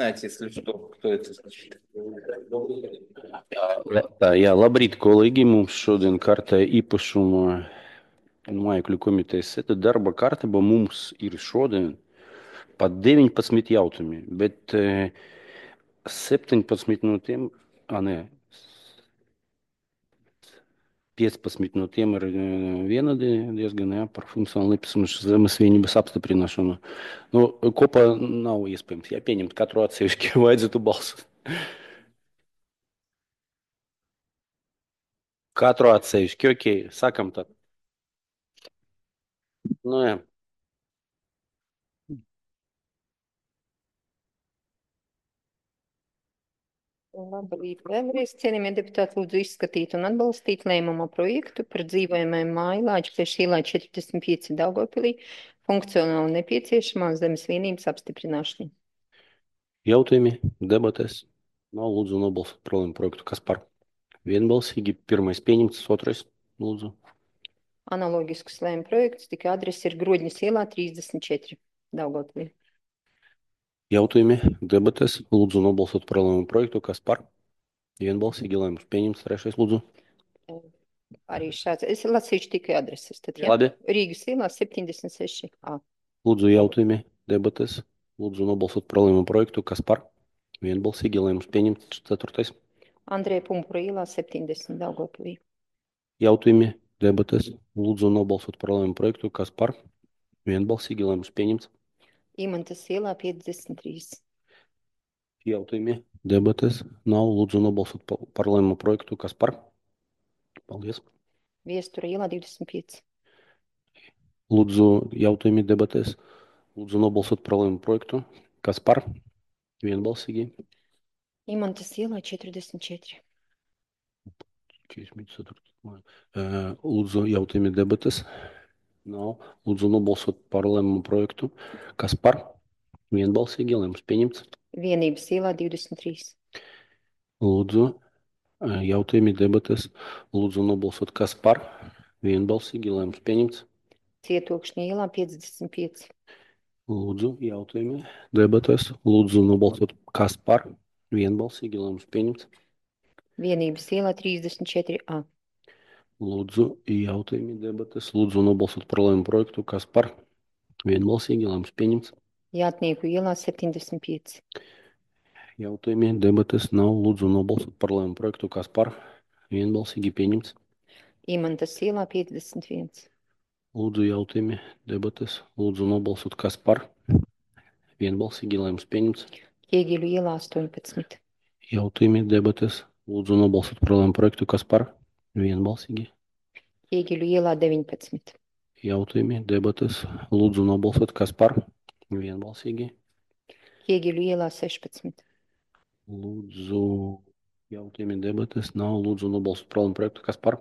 Знаете, если что, кто это значит? Tā, jā, labrīt, kolēģi. Mums šodien kārtē īpašuma mājokļu komitejas sēde. Darba kārtība mums ir šodien pat 19 jautājumi, bet 17 no tiem, nē, 15 no tiem ir vienādi diezgan, jā, par funkcionālu nepieciešamu zemes vienības apstiprināšanu. Nu, kopā nav iespējams, ja pieņemt katru atsevišķi, vajadzētu balsot. Katru atsevišķi, ok, sākam tad. Nu, jā. Labrīt, vēlreiz cienījamie deputāti, lūdzu izskatīt un atbalstīt lēmuma projektu par dzīvojamajām mājlāģi pie šīlā 45 Daugavpilī funkcionāli nepieciešamās zemes vienības apstiprināšanu. Jautājumi, debates. Nav lūdzu nobalsot par lēmumu projektu. Kas par? Vienbalsīgi. Pirmais pieņemts, otrais lūdzu. Analogisks lēmuma projekts tika adrese ir Grodņas ielā 34 Daugavpilī. Jautājumi, debates. Lūdzu nobalsot par lēmumu projektu. Kas par? Vienbalsīgi lēmums pieņemts, trešais lūdzu. Arī šāds. Es lasīšu tikai adreses. Tad, jā. Labi. Rīgas ielā 76 A. Lūdzu jautājumi, debates. Lūdzu nobalsot par lēmumu projektu. Kas par? Vienbalsīgi lēmums pieņemts, ceturtais. Andrēja Pumpura ielā 70 Daugavpilī. Jautājumi, debates. Lūdzu nobalsot par lēmumu projektu. Kas par? Vienbalsīgi lēmums pieņemts. Imantas ielā 53. Jautājumi, debates. Nav lūdzu nobalsot par lēmumu projektu. Kas par? Paldies. Viestura ielā 25. Lūdzu jautājumi, debates. Lūdzu nobalsot par lēmumu projektu. Kas par? Vienbalsīgi. Imantas ielā 44. 44. Lūdzu jautājumi, debates. Nav. Lūdzu nobalsot par lēmumu projektu. Kas par? Vienbalsīgi lēmums pieņemts. Vienības ielā 23. Lūdzu jautājumi, debates. Lūdzu nobalsot kas par? Vienbalsīgi lēmums pieņemts. Cietokšņa ielā 55. Lūdzu jautājumi, debates. Lūdzu nobalsot kas par? Vienbalsīgi lēmums pieņemts. Vienības ielā 34 A. Lūdzu jautājumi, debates. Lūdzu nobalsot par lēmumu projektu. Kas par? Vienbalsīgi lēmums pieņemts. Jātnieku ielā 75. Jautājumi, debates. Nav. Lūdzu nobalsot par lēmumu projektu. Kas par? Vienbalsīgi pieņemts. Imantas ielā 51. Lūdzu jautājumi, debates. Lūdzu nobalsot kas par? Vienbalsīgi lēmums pieņemts. Ķieģeļu ielā 18. Jautājumi, debates. Lūdzu nobalsot par lēmumu projektu. Kas par? Vienbalsīgi. Ķieģeļu ielā 19. Jautājumi, debates. Lūdzu nobalsot kas par? Vienbalsīgi. Ķieģeļu ielā 16. Lūdzu jautājumi, debates. Nav. Lūdzu nobalsot par lēmumu projektu. Kas par?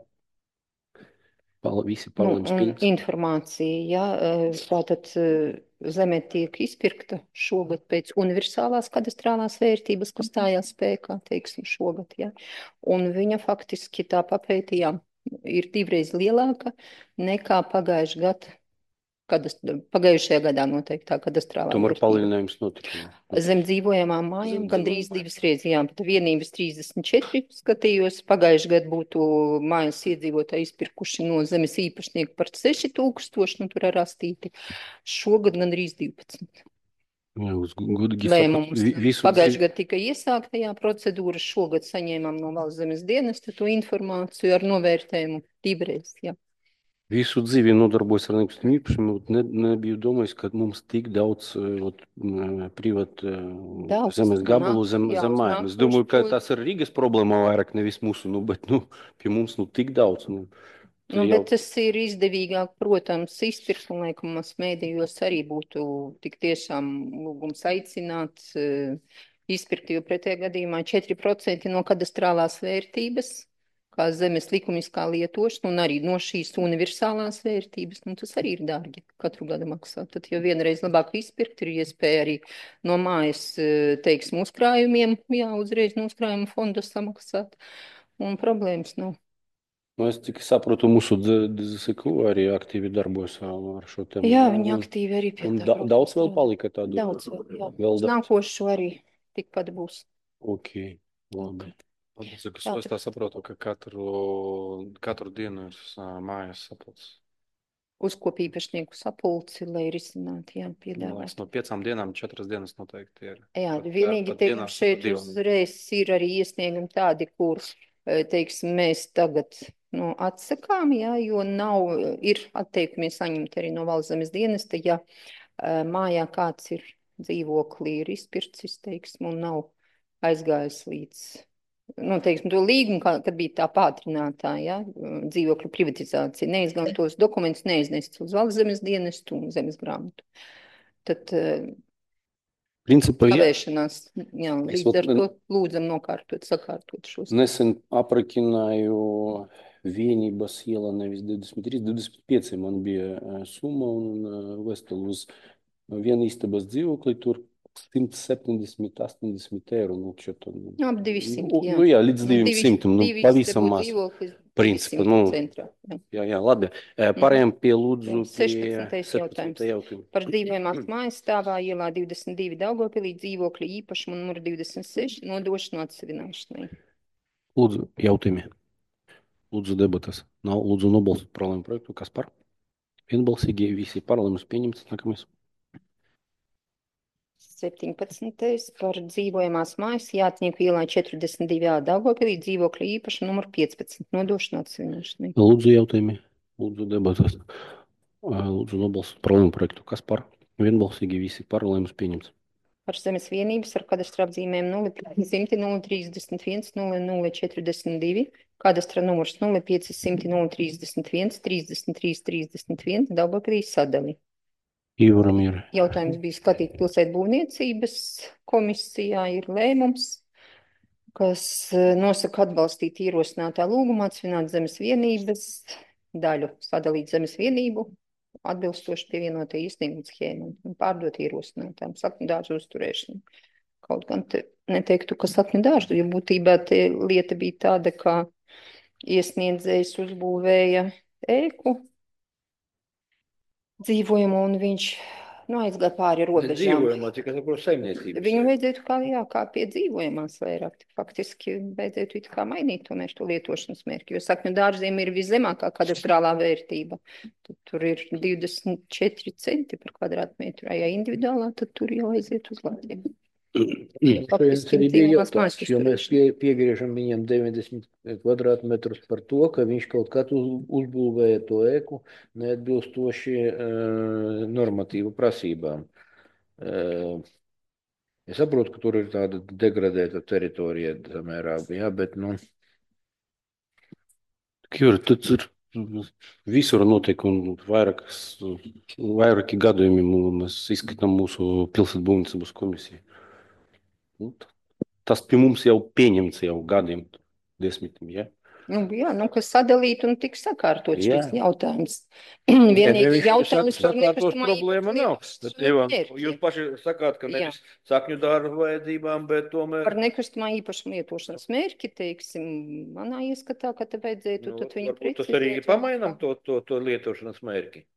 Visi par lēmums pieņemts. Informācija, ja, tātad zeme tiek izpirkta šogad pēc universālās kadastrālās vērtības, kas stājās spēkā, teiksim, šogad, ja. Un viņa faktiski tā papētījām ir divreiz lielāka nekā pagājušajā gadā. Pagājušajā gadā noteiktā kadastrālā Tomēr vērtība. palielinājums notika. Zem dzīvojamām mājām gandrīz divas reizes, jā, bet vienības 34 skatījos. Pagājuši gadu būtu mājas iedzīvotāji izpirkuši no zemes īpašnieku par 6000, nu tur ar rastīti. Šogad gandrīz 12. Lēmums. Pagājuši gadu tika iesāktajā procedūra, šogad saņēmām no valsts zemes dienesta to informāciju ar novērtējumu divreiz, jā. Visu dzīvi nodarbojas ar nekustamiem īpašumiem, nebiju domājis, ka mums tik daudz privātu zemes gabalu zem mājām. Es domāju, ka tas ir Rīgas problēma vairāk, nevis mūsu, bet pie mums tik daudz. Bet tas ir izdevīgāk, protams, izpirkt, un liekas, mēdījos arī būtu tik tiešām lūgums aicināt izpirkt, jo pretējā gadījumā 4% no kadastrālās vērtības, kā zemes likumiskā lietošana, un arī no šīs universālās vērtības, nu tas arī ir dārgi katru gadu maksāt. Tad jau vienreiz labāk izpirkt, ir iespēja arī no mājas, teiksim, uzkrājumiem, jā, uzreiz no uzkrājuma fonda samaksāt, un problēmas nav. Es tikai saprotu, mūsu DZSQ arī aktīvi darbojas ar šo tēmu. Jā, viņi aktīvi arī pie tā. Daudz vēl palika tādu? Daudz vēl, jā. Uz nākošo arī tikpat būs. Ok, labi. Es tā saprotu, ka katru dienu ir mājas sapulces. Uzkopja īpašnieku sapulci, lai risinātu, piedāvāt. No 5 dienām 4 dienas noteikti ir. Jā, vienīgi, teiksim, šeit uzreiz ir arī iesniegumi tādi, kur, teiksim, mēs tagad atsakām, jo ir atteikumi saņemt arī no Valsts zemes dienesta, ja mājā kāds ir dzīvoklī, ir izpircis, teiksim, un nav aizgājis līdz teiksim, to līgumu, kad bija tā pātrinātā, dzīvokļu privatizācija, neizgājot tos dokumentus, neiznests uz Valsts zemes dienestu un zemes grāmatu. Tad kavēšanās, līdz ar to lūdzam sakārtot šos. Nesen aprakināju Vienības iela nevis 23, 25 man bija summa un vestulu uz vienu istabas dzīvokli, tur 170, 80 eiro. Ap 200, jā. Jā, līdz 200. Pavisam maz. Principā, jā, labi. Pārējām pie lūdzu 16. jautājums. Par dzīvojamās mājas stāvā ielā 22 Daugavpilī dzīvokļa īpašumu numuru 26 nodošanu atsevināšanai. Lūdzu, jautājumi. Lūdzu, debatas. Nav lūdzu nobalsot par lēmumu projektu. Kas par? Vienbalsīgi visi par lēmumus pieņemts. Nākamais. 17. par dzīvojamās mājas Jātnieku ielā 42 Daugavpilī dzīvokļa īpašumu numuru 15 nodošanu atsevināšanai. Lūdzu, jautājumi. Lūdzu, debatas. Lūdzu, nobalsot par lēmumu projektu. Kas par? Vienbalsīgi visi par lēmumus pieņemts. Par zemes vienības ar kadastra apzīmēm 0500 031 0042, kadastra numurs 0500 031 33 31 Daugavpilī sadali. Ivaram ir. Jautājums bija skatīt pilsētbūvniecības komisijā, ir lēmums, kas nosaka atbalstīt ierosinātā lūgumā atsvināt zemes vienības daļu, sadalīt zemes vienību, atbilstoši pievienotai iesnieguma schēmai un pārdot ierosinātām sakņu dārzu uzturēšanu. Kaut gan neteiktu, ka sakņu dārzu, jo būtībā te lieta bija tāda, ka iesniedzējs uzbūvēja ēku dzīvojamo, un viņš aizgāja pāri robežām. Dzīvojamā, cik es saprotu, saimniecības. Viņu vajadzētu kā pie dzīvojamās vairāk. Faktiski vajadzētu it kā mainīt tomēr to lietošanas mērķi, jo sakņu dārziem ir viszemākā kadastrālā vērtība. Tur ir 24 centi par kvadrātmetru, ja individuālā, tad tur jau aiziet uz Latviju. Šajās arī bija jautājums, jo mēs piegriežam viņam 90 kvadrātmetrus par to, ka viņš kaut kad uzbūvēja to ēku neatbilstoši normatīvu prasībām. Es saprotu, ka tur ir tāda degradēta teritorija samērā, jā, bet, Tur ir visur notiek un vairāki gadījumi mēs izskatām mūsu pilsētbūvniecības komisiju. Tas pie mums jau pieņemts jau gadiem, 10, ja? Kas sadalīt un tik sakārtot šis jautājums. Vienīgi jautājums par nekustamā problēma nav. Jūs paši sakāt, ka nevis sakņu dārzu vajadzībām, bet tomēr... Par nekustamā īpašuma lietošanas mērķi, teiksim, manā ieskatā, ka te vajadzētu tad viņu precizēt. Tas arī pamainām to lietošanas mērķi.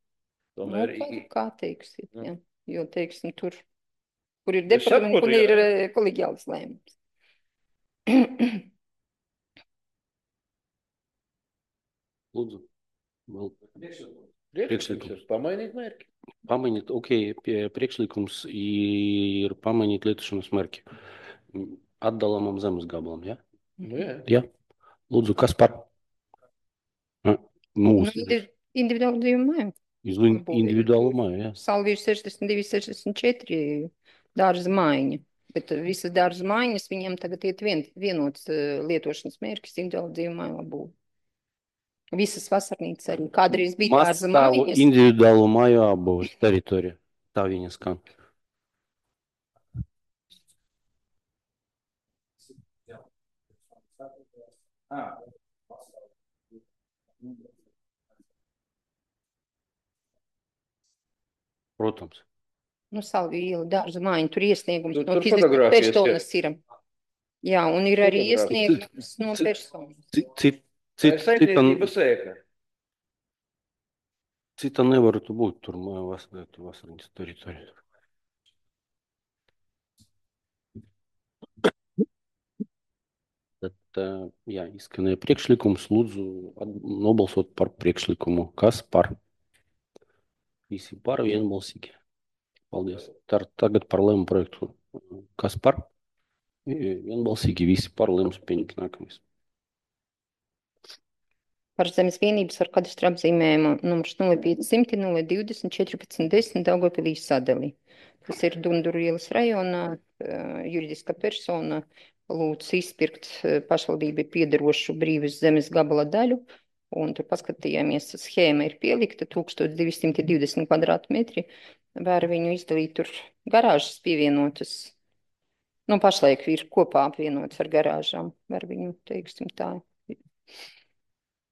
Kā teiksit, jā. Jo, teiksim, tur, kur ir departaments, kur ir koleģiāls lēmums. Lūdzu. Priekšlikums pamainīt mērķi. Pamainīt, priekšlikums ir pamainīt lietošanas mērķi. Atdalamam zemes gabalam, ja? Jā. Lūdzu, kas par? Individuālu dzīvu māju. Individuālu māju, jā. Salvīrs 62, 64 dārza mājiņa. Bet visas dārza mājiņas viņiem tagad iet vienots lietošanas mērķis individuālu dzīvu māju labūvu. Visas vasarnīcas arī. Kādreiz bija dārza mājiņas. Individuālu māju apbūves teritorija. Tā viņa skan. Protams. Salviju iela dārza mājiņa. Tur iesniegums no fiziskās personas ir. Jā, un ir arī iesniegums no personas. Cita nevar būt tur vasarnīcas teritorija. Jā, izskanēja priekšlikums. Lūdzu, nobalsot par priekšlikumu. Kas par? Visi par, vienbalsīgi. Paldies. Tagad par lēmumu projektu. Kas par? Vienbalsīgi visi par, lēmums pieņemt. Nākamais. Par zemes vienības ar kadastru apzīmējumu numurs 0500 020 1410 Daugavpilī sadali. Tas ir Dunduru ielas rajonā, juridiska persona lūdz izpirkt pašvaldībai piederošu brīvas zemes gabala daļu, un tur paskatījāmies, schēma ir pielikta 1220 kvadrātmetri, var viņu izdalīt tur garāžas pievienotas, nu pašlaik ir kopā apvienotas ar garāžām, var viņu, teiksim tā,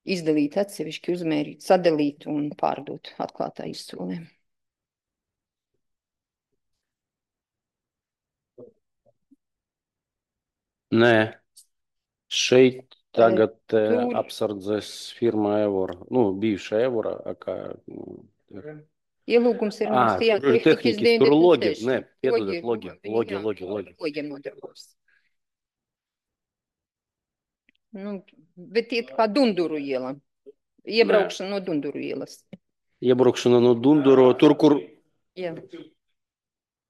izdalīt atsevišķi, uzmērīt, sadalīt un pārdot atklātā izsolē. Nē, šeit tagad apsardzes firma Evora, bijuša Evora, kā ielūgums ir mums tajā tehnikas, tur logi, nē, piedodat, logi nodarbos. Bet iet kā Dunduru iela. Iebraukšana no Dunduru ielas. Iebraukšana no Dunduru, tur, kur Jā.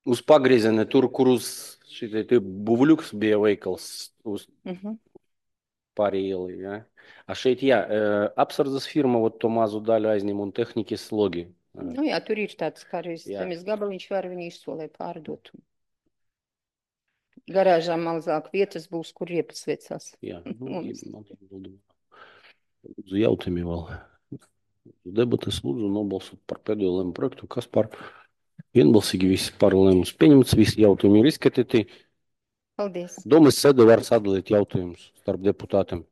Uz pagrieziena, tur, kur uz šitai Buvuļuks bija veikals uz pāri ielai, jā. A šeit, jā, apsardzes firma to mazu daļu aizņem un tehnikas logi. Jā, tur ir tāds kā arī zemes gabaliņš, var viņu izsolē pārdot. Garāžā mazāk vietas būs, kur riepas vecās. Jā, lūdzu jautājumi vēl. Debates lūdzu nobalsot par pēdējo lēmumu projektu. Kas par? Vienbalsīgi visi par lēmumus pieņemts, visi jautājumi ir izskatīti. Paldies. Domas sēde var sadalīt jautājumus starp deputātiem.